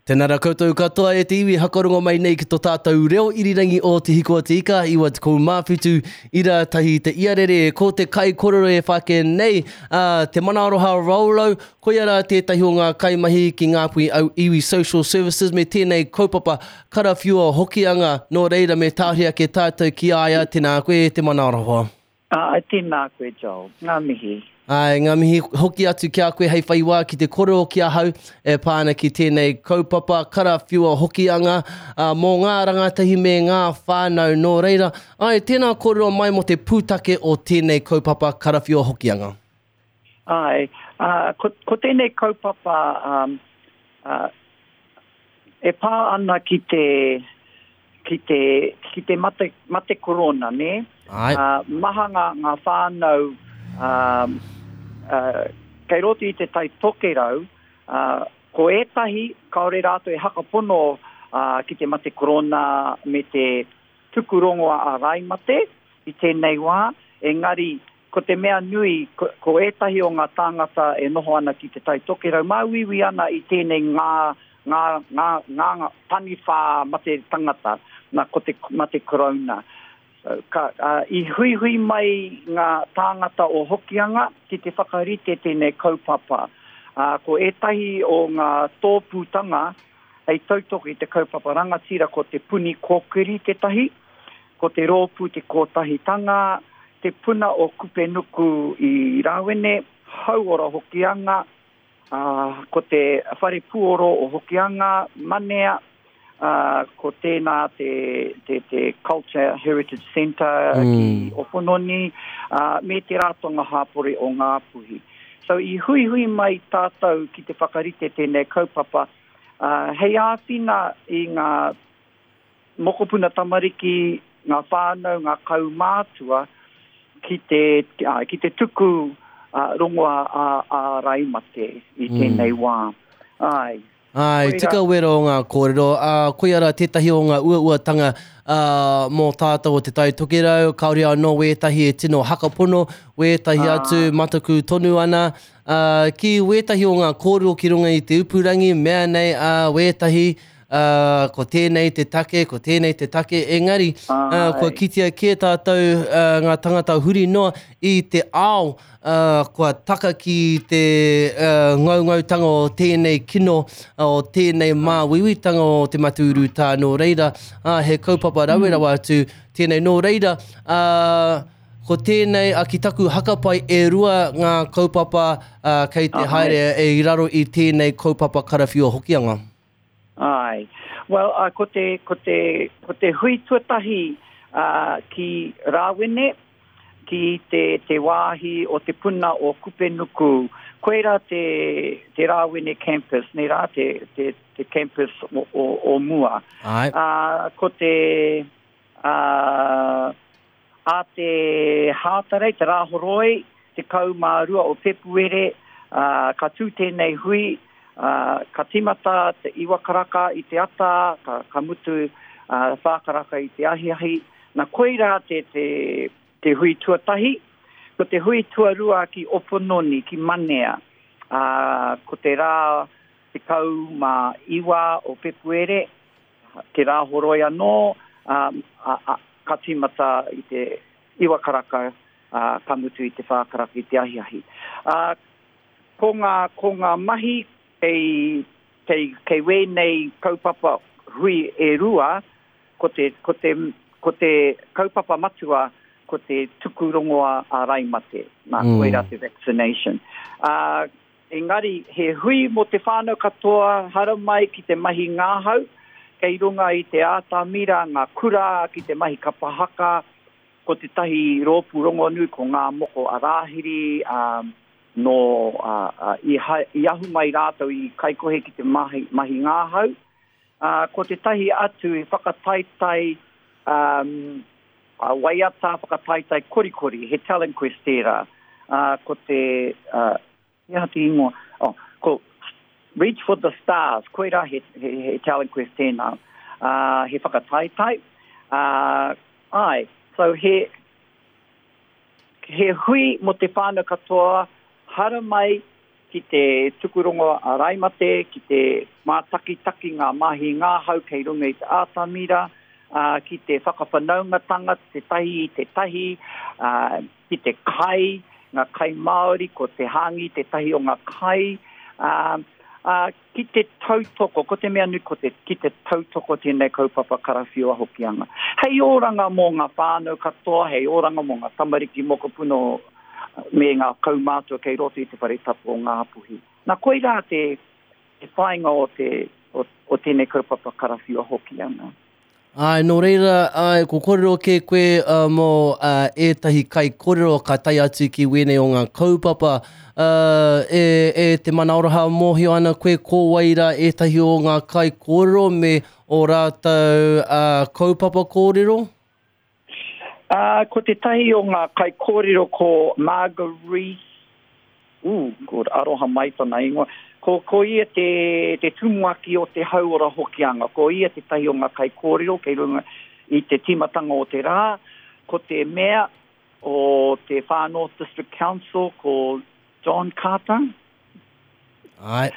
Tēnā rā koutou katoa e te iwi hakarongo mai nei ki to tātou reo irirangi o Te Hiko a Te Ika, 97 ira tahi te iarere. Ko te kaikorero e whake nei, a Te Mana Aroha Rollo, koia rā tētahi o ngā kaimahi ki Ngāpuhi Au Iwi Social Services me tēnei kaupapa karawhiua Hokianga, nō reira me tāhuri ake tātou ki a ia, tēnā koe e Te Mana Aroha. Āe, tēnā koe Joel. Ngā mihi. Āe, ngā mihi hoki atu ki a koe hei whai wā ki te korero ki ahau e pā ana ki tēnei kaupapa karawhiua Hokianga mō ngā rangatahi me ngā whānau. Nō reira, āe, tēnā kōrero mai mō te pūtake o tēnei kaupapa karawhiua Hokianga. Āe, ko, ko tēnei kaupapa ā, e pā ana ki te, ki te, ki te mate, mate korona, nē? Āe. Ā, maha ngā, ngā whānau, ā, ā, kei roto i te Tai Tokerau, ā, ko ētahi kāore rātou e hakapono, ā, ki te mate korona me te tuku rongoā āraimate i tēnei wā, engari ko te mea nui, ko, ko ētahi o ngā tāngata e noho ana ki te Tai Tokerau, māuiui ana i tēnei ngā, ngā, ngā, ngā, ngā taniwhā mate tangata, nā, ko te mate korona. So, ka, uh, i huihui mai ngā tāngata o Hokianga ki te whakarite tēnei kaupapa. Uh, ko ētahi o ngā tōpūtanga hei tautoko i te kaupapa rangatira ko Te Puni Kōkiri tētahi, ko Te Rōpū Te Kōtahitanga, Te Puna o Kupenuku i Rāwene, Hauora Hokianga, ā, ko te Whare Puoro o Hokianga, Manea, ā, ko tēnā te, te, te Culture Heritage Centre mm. ki Opononi, ā, me te Ratonga Hāpori o Ngāpuhi. So i huihui mai tātou ki te whakarite tēnei kaupapa, ā, hei āwhina i ngā mokopuna tamariki, ngā whānau, ngā kaumātua ki te, ki te tuku rongoā āraimate i tēnei wā. Āe. Āe, tika wera o ngā kōrero, ā, koia rā tētahi o ngā uauatanga, ā, mō tātou o Te Tai Tokerau, kāore anō wētahi e tino hakapono, wētahi atu mataku tonu ana, ā, ki wētahi o ngā kōrero ki runga i te upurangi, mea nei, ā, wētahi, ā, ko tēnei te take, ko tēnei te take, engari, ā, kua kitea kē tātou, ā, ngā tangata huri noa i te ao, ā, kua taka ki te, ā, ngaungautanga o tēnei kino, o tēnei māuiuitanga o te mate urutā, nō reira, ā, he kaupapa rawe rawa atu tēnei. Nō reira, ā, ko tēnei, ā, ki taku hakapai e rua ngā kaupapa, ā, kei te haere i raro i tēnei kaupapa karawhiua Hokianga. Āe. Well, uh, ko te, ko te, ko te hui tuatahi uh, ki Rāwene, ki te, te wāhi o te puna o Kupenuku, koirā te, te Rāwene campus, nei rā, te, te, te campus o, o, o mua. Āe. Uh, ko te, uh, Ā te Hātarei, te Rāhoroi, 12 o Pepuere, ā, ka tū tēnei hui, ā, ka tīmata te iwa karaka i te ata, ka, ka mutu, ā, whā karaka i te ahiahi. Na, koirā te, te, te hui tuatahi. Ko te hui tuarua ki Opononi, ki Manea, ā, ko te rā 19 o Pepuere, Te Rāhoroi anō, ā, ā, ā, ka tīmata i te iwa karaka, ā, ka mutu i te whā karaka i te ahiahi. Ā, ko ngā, ko ngā mahi kei, kei, kei wēnei kaupapa hui e rua, ko te, ko te, ko te kaupapa matua, ko te tuku rongoā āraimate, nā, koirā te vaccination. Ā, Engari, he hui mō te whānau katoa, haramai ki te mahi ngahau, kei runga i te ātamira ngā kura ki te mahi kapa haka, ko tētahi rōpū rongonui ko Ngā Moko a Rāhiri, ā, nō, ā, ā, i, i ahu mai rātou i Kaikohe ki te mahi, mahi ngahau. Ā, ko tētahi atu i whakataetae, ā, waiata whakataetae korikori, he talent quest tērā, ā, ko te, ā, He aha te ingoa? Oh, ko Reach for the Stars, koirā he, he, he talent quest tēnā. Uh, he whakataetae. Uh, ai, so he, he hui mō te whānau katoa, haramai ki te tuku rongo āraimate, ki te mātakitaki ngā mahi ngahau kei runga i te atamira, ā, ki te whakawhanaungatanga tētahi i tētahi, ā, ki te kai, ngā kai Māori, ko te hāngī tētahi o ngā kai, ā, ā, ki te tautoko, ko te mea nui ko te, ki te tautoko tēnei kaupapa karawhiua Hokianga. Hei oranga mō ngā whānau katoa, hei oranga mō ngā tamariki mokopuna me ngā kaumātua kei roto i te whare tapu o Ngāpuhi. Nā, koirā te, te whāinga o te, o, o tēnei kaupapa karawhiua Hokianga. Āe, nō reira, āe, ko kōrero kē koe uh, mō uh, ētahi kaikōrero ka tae atu ki wēnei o ngā kaupapa. Uh, e, e te manaoroha mōhio ana koe ko wai rā ētahi o ngā kaikōrero me ō rātou uh, kaupapa kōrero? Ā, ko tētahi o ngā kaikōrero ko Marguerite, ū, ko Aroha Mai tana ingoa, ko, ko ia te, te tumuaki o te Hauora Hokianga, ko ia tētahi o ngā kaikōrero kei runga i te tīmatanga o te rā, ko te mea o te Far North District Council, ko John Carter. Āe.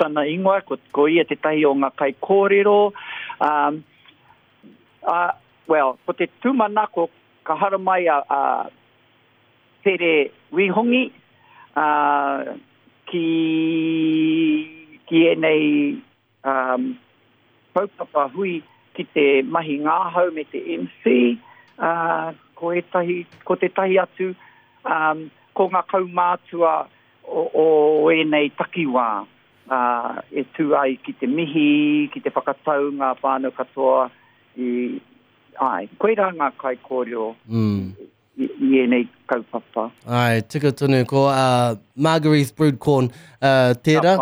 Tana ingoa, ko, ko ia tētahi o ngā kaikōrero. Um, ā, well, ko te tūmanako ka haramai a, a Pere Wihongi, ā, ki, ki ēnei, um, kaupapa hui ki te mahi ngahau me te MC, ā, ko ētahi, ko tētahi atu, um, ko ngā kaumātua o, o ēnei takiwā, ā, e tū ai ki te mihi, ki te whakatau ngā whānau katoa i, āe, koirā ngā kaikōrero mm. i, i ēnei kaupapa. Āe, tika tonu, ko uh, Marguerite Broodcorn uh, tērā.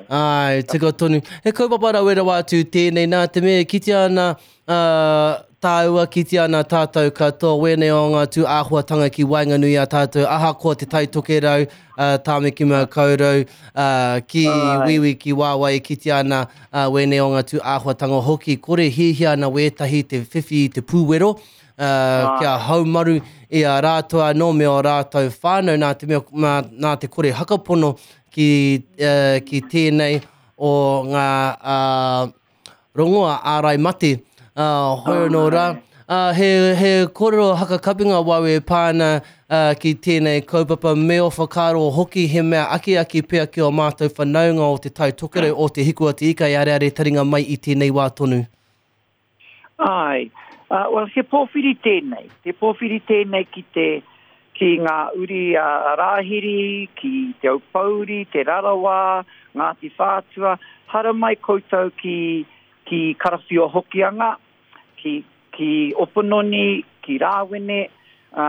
Āe, tika tonu. He kaupapa rawe rawa atu tēnei nā te mea e kitea ana uh, tāua kitea ana tātou katoa wēnei o ngā tū āhuatanga ki waenganui i a tātou ahakoa te Tai Tokerau, uh, Tāmaki Makaurau, uh, ki Wīwī, ki Wāwai e kitea ana uh, wēnei o ngā tū āhuatanga hoki kore hiahia ana wētahi te whiwhi i te pūwero uh, kia haumaru i a rātou anō me ō rātou whānau nā te mea, nā, nā te kore hakapono ki, uh, ki tēnei o ngā uh, rongoa ārai mate, ā, hoi anō rā. Ā, he, he kōrero hakakapinga wau e pā ana ā, ki tēnei kaupapa me ō whakaaro hoki he mea akiaki pea ki ō mātou whanaunga o Te Tai Tokerau, o Te Hiku a Te Ika e areare taringa mai i tēnei wā tonu. Āe. Ā, well, he pōwhiri tēnei. He pōwhiri tēnei ki te, ki ngā uri a Rāhiri, ki Te Aupōuri, Te Rarawa, Ngāti Whātua. Haramai koutou ki, ki Karawhiua Hokianga, ki, ki Opononi, ki Rāwene, ā,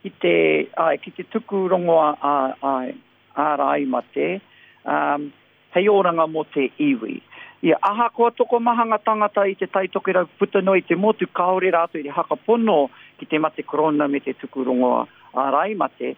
ki te, āe, ki te tuku rongoa ā, āe, āraimate. Ā, hei oranga mō te iwi. Ia, ahakoa tokomaha ngā tangata i Te Tai Tokerau puta noa i te motu kāore rātou i te hakapono ki te mate korona me te tuku rongoa ārai mate,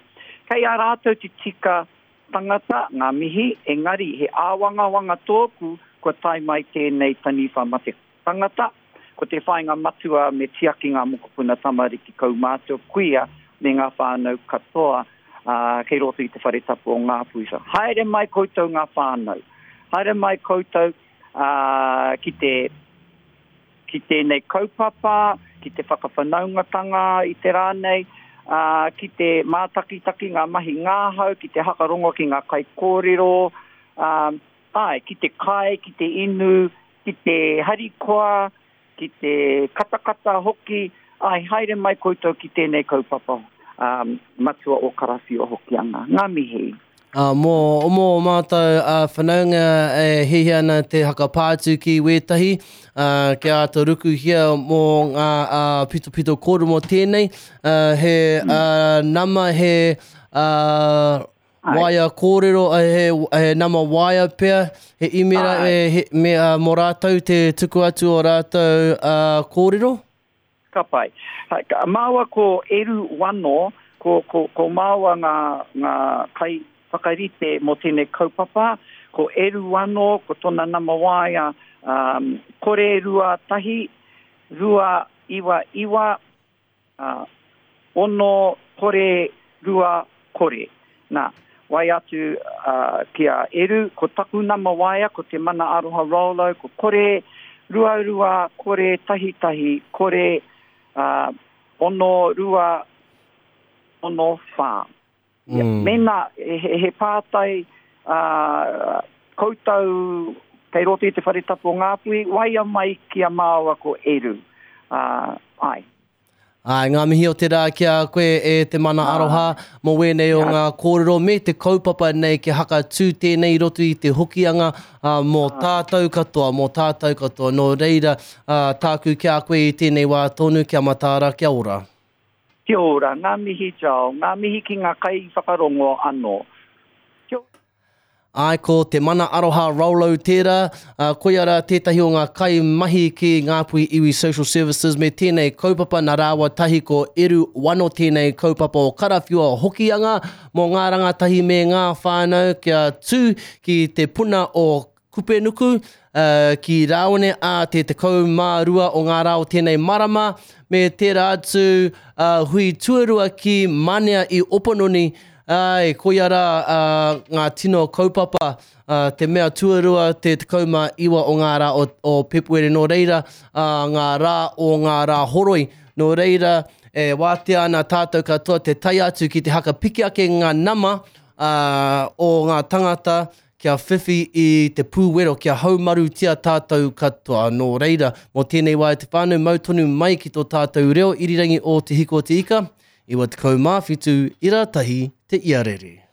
kei a rātou te tika tangata, ngā mihi, engari he āwangawanga tōku kua tae mai tēnei taniwha mate tangata, ko te whāinga matua me tiaki ngā mokopuna tamariki kaumātua kuia me ngā whānau katoa kei roto i te whare tapu o Ngāpuhi. Haere mai koutou ngā whānau. Haere mai koutou ki te ki tēnei kaupapa, ki te whakawhanaungatanga i te rā nei, ki te mātakitaki ngā mahi ngahau, ki te hakarongo ki ngā kaikōrero, āe, ki te kai, ki te inu, ki te harikoa, ki te katakata hoki, āe, haere mai koutou ki tēnei kaupapa um, matua o Karawhiua Hokianga. Ngā mihi. Uh, mō, mō mātou uh, whanaunga e hiahia ana te hakapā atu ki wētahi, uh, kia āta rukuhia mō ngā uh, pitopito kōrero mō tēnei, uh, he uh, nama, he uh, Waea kōrero, he, he nama waea pea, he imera e, he, me, uh, mō rātou te tuku atu o rātou uh, kōrero? Ka pai. Ka, māua ko Eru Wano, ko, ko, ko māua ngā, ngā kai whakarite mō tēnei kaupapa. Ko Eru Wano, ko tōna nama waea, um, kore 2 1, 2 9 9, Ā, ono, kore, rua, kore. Nā, Waea atu ki a Eru, ko taku nama waea, ko Te Mana Aroha Rollo, ko kore, ruarua, kore, tahitahi, kore, 6, 2, 6, 4. Mēnā he pātai koutou kei roto i te whare tapu o Ngāpuhi, waea mai ki a māua ko Eru. Āe. Āe, ngā mihi o te rā ki a koe e Te Mana Aroha mō wēnei o ngā kōrero me te kaupapa nei kia hakatū tēnei i roto i te Hokianga mō tātou katoa, mō tātou katoa. Nō reira, tāku ki a koe i tēnei wā tonu, kia mataara, kia ora. Kia ora, ngā mihi Joel, ngā mihi ki ngā kaiwhakarongo anō. Kia ora. Āe, ko Te Mana Aroha Rollo tērā, ā, koia rā tētahi o ngā kaimahi ki Ngāpuhi Iwi Social Services me tēnei kaupapa nā rāua tahi ko Eru Wano tēnei kaupapa o Karawhiua Hokianga mō ngā rangatahi me ngā whānau kia tū ki te puna o Kupenuku, ā, ki Rāone ā te 12 o ngā rā o tēnei marama, me tērā atu, ā, hui tuarua ki Manea i Opononi, āe, koia rā, ā, ngā tino kaupapa, ā, te mea tuarua te 19 o ngā rā o, o Pepuere, nō reira, ā, ngā rā o ngā rā horoi, nō reira, e wātea ana tātou katoa te tae atu ki te haka piki ake ngā nama, ā, o ngā tangata, kia whiwhi i te pūwero, kia haumarutia tātou katoa. Nō reira, mō tēnei wā e te whānau, mau tonu mai ki tō tātou reo irirangi o Te Hiko o Te Ika, 97 ira tahi te iarere.